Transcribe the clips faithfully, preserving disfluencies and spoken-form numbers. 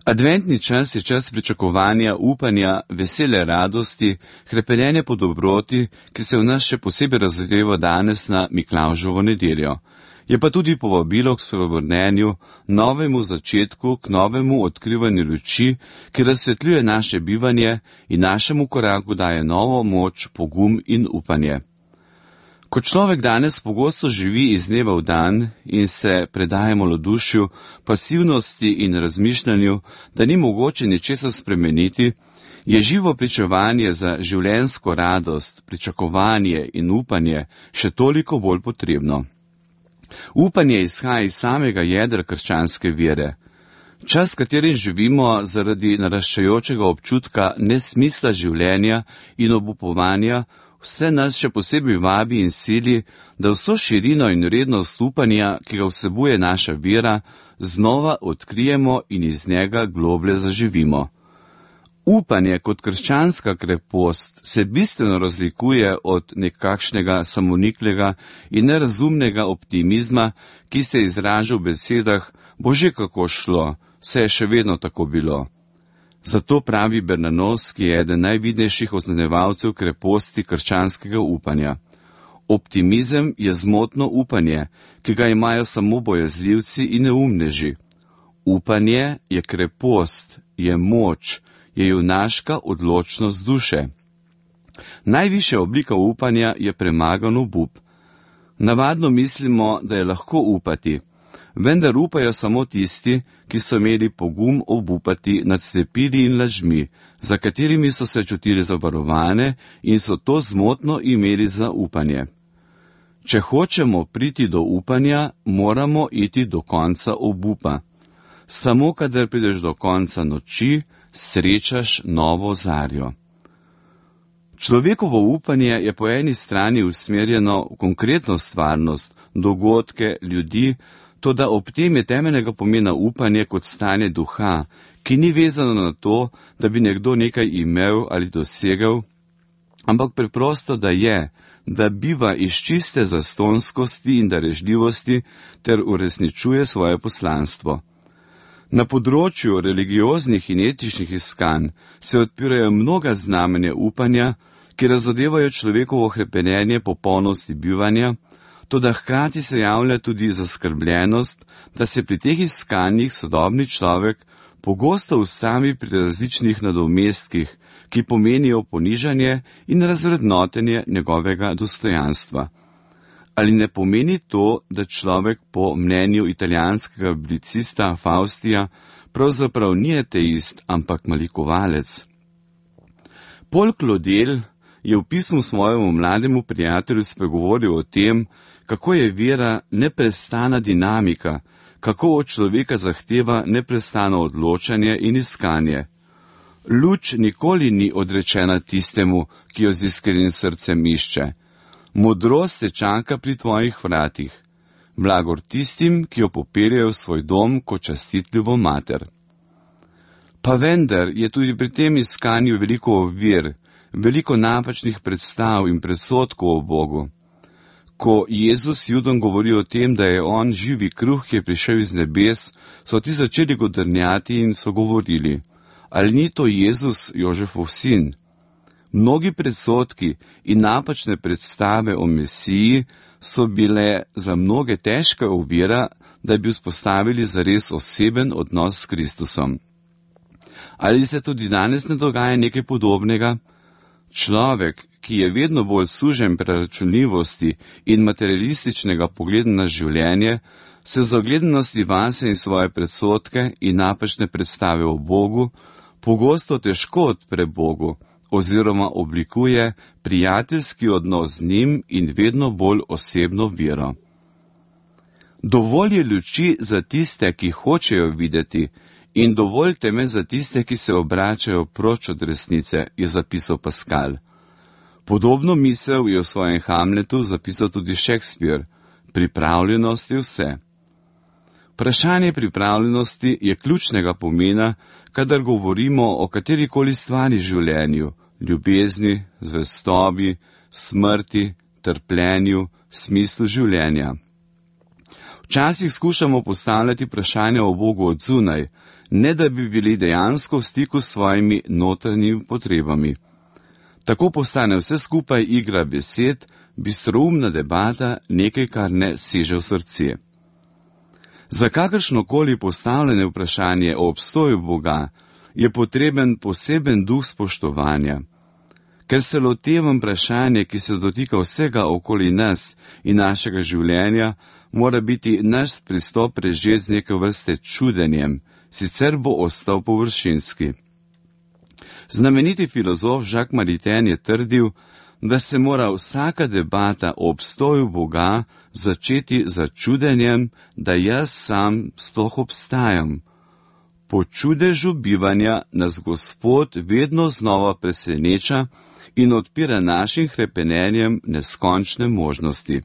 Adventni čas je čas pričakovanja, upanja, vesele radosti, hrepenenja po dobroti, ki se v nas še posebej razgreva danes na Miklavževo nedeljo. Je pa tudi povabilo k spreobrnenju, novemu začetku, k novemu odkrivanju luči, ki razsvetljuje naše bivanje in našemu koraku daje novo moč, pogum in upanje. Ko človek danes pogosto živi iz dneva v dan in se predaje malodušju, pasivnosti in razmišljanju, da ni mogoče ničesar spremeniti, je živo pričevanje za življenjsko radost, pričakovanje in upanje še toliko bolj potrebno. Upanje izhaja iz samega jedra krščanske vere. Čas, v katerim živimo, zaradi naraščajočega občutka nesmisla življenja in obupovanja, vse nas še posebej vabi in sili, da vso širino in vrednost upanja, ki ga vsebuje naša vera, znova odkrijemo in iz njega globlje zaživimo. Upanje kot krščanska krepost se bistveno razlikuje od nekakšnega samoniklega in nerazumnega optimizma, ki se izraža v besedah Bože, kako šlo, vse je še vedno tako bilo. Zato pravi Bernanos, ki je eden najvidnejših označevalcev kreposti krščanskega upanja. Optimizem je zmotno upanje, ki ga imajo samo bojazljivci in neumneži. Upanje je krepost, je moč, je junaška odločnost duše. Najvišja oblika upanja je premagan obup. Navadno mislimo, da je lahko upati, vendar upajo samo tisti, ki so imeli pogum obupati nad slepili in lažmi, za katerimi so se čutili zavarovane in so to zmotno imeli za upanje. Če hočemo priti do upanja, moramo iti do konca obupa. Samo kadar prideš do konca noči, srečaš novo zarjo. Človekovo upanje je po eni strani usmerjeno v konkretno stvarnost, dogodke, ljudi, toda ob tem je temeljnega pomena upanje kot stanje duha, ki ni vezano na to, da bi nekdo nekaj imel ali dosegel, ampak preprosto, da je, da biva iz čiste zastonskosti in darežljivosti ter uresničuje svoje poslanstvo. Na področju religioznih in etičnih iskanj se odpirajo mnoga znamenja upanja, ki razodevajo človekovo hrepenenje po polnosti bivanja, toda hkrati se javlja tudi zaskrbljenost, da se pri teh iskanjih sodobni človek pogosto ustavi pri različnih nadomestkih, ki pomenijo ponižanje in razvrednotenje njegovega dostojanstva. Ali ne pomeni to, da človek po mnenju italijanskega publicista Faustija pravzaprav ni ateist, ampak malikovalec? Paul Claudel je v pismu svojemu mlademu prijatelju spregovoril o tem, kako je vera neprestana dinamika, kako od človeka zahteva neprestano odločanje in iskanje. Luč nikoli ni odrečena tistemu, ki jo z iskrenim srcem išče. Modrost te čaka pri tvojih vratih, blagor tistim, ki jo popeljejo v svoj dom kot častitljivo mater. Pa vendar je tudi pri tem iskanju veliko ovir, veliko napačnih predstav in predsodkov o Bogu. Ko Jezus Judom govori o tem, da je on živi kruh, ki je prišel iz nebes, so ti začeli godrnjati in so govorili, ali ni to Jezus, Jožefov sin? Mnogi predsodki in napačne predstave o Mesiji so bile za mnoge težka ovira, da bi vzpostavili zares oseben odnos s Kristusom. Ali se tudi danes ne dogaja nekaj podobnega? Človek, ki je vedno bolj sužen preračunljivosti in materialističnega pogleda na življenje, se v zagledanosti vase in svoje predsodke in napačne predstave o Bogu pogosto težko odpre Bogu, oziroma oblikuje prijateljski odnos z njim in vedno bolj osebno vero. Dovolj je luči za tiste, ki hočejo videti, in dovolj teme za tiste, ki se obračajo proč od resnice, je zapisal Pascal. Podobno misel je v svojem Hamletu zapisal tudi Shakespeare. Pripravljenost je vse. Vprašanje pripravljenosti je ključnega pomena, kadar govorimo o katerikoli stvari v življenju, ljubezni, zvestobi, smrti, trpljenju, smislu življenja. Včasih skušamo postavljati vprašanja o Bogu od zunaj, ne da bi bili dejansko v stiku s svojimi notranjimi potrebami. Tako postane vse skupaj igra besed, bistroumna debata, nekaj, kar ne seže v srce. Za kakršnokoli postavljene vprašanje o obstoju Boga je potreben poseben duh spoštovanja. Ker se lotevam vprašanje, ki se dotika vsega okoli nas in našega življenja, mora biti naš pristop prežet z neke vrste čudenjem, sicer bo ostal površinski. Znameniti filozof Jacques Maritain je trdil, da se mora vsaka debata o obstoju Boga začeti z čudenjem, da jaz sam sploh obstajam. Po čudežu bivanja nas Gospod vedno znova preseneča in odpira našim hrepenenjem neskončne možnosti.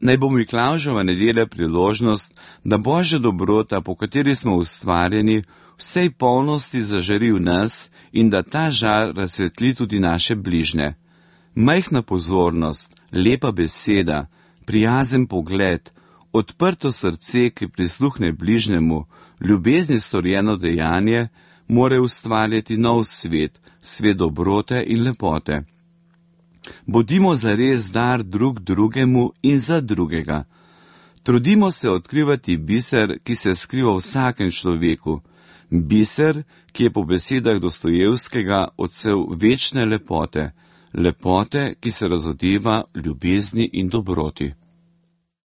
Naj bo Miklavževa nedelja priložnost, da Božja dobrota, po kateri smo ustvarjeni, vsej polnosti zažari v nas in da ta žar razsvetli tudi naše bližnje. Majhna pozornost, lepa beseda, prijazen pogled, odprto srce, ki prisluhne bližnjemu, ljubezni storjeno dejanje, more ustvarjati nov svet, svet dobrote in lepote. Bodimo zares dar drug drugemu in za drugega. Trudimo se odkrivati biser, ki se skriva v vsakem človeku. Biser, ki je po besedah Dostojevskega odsev večne lepote. Lepote, ki se razodeva ljubezni in dobroti.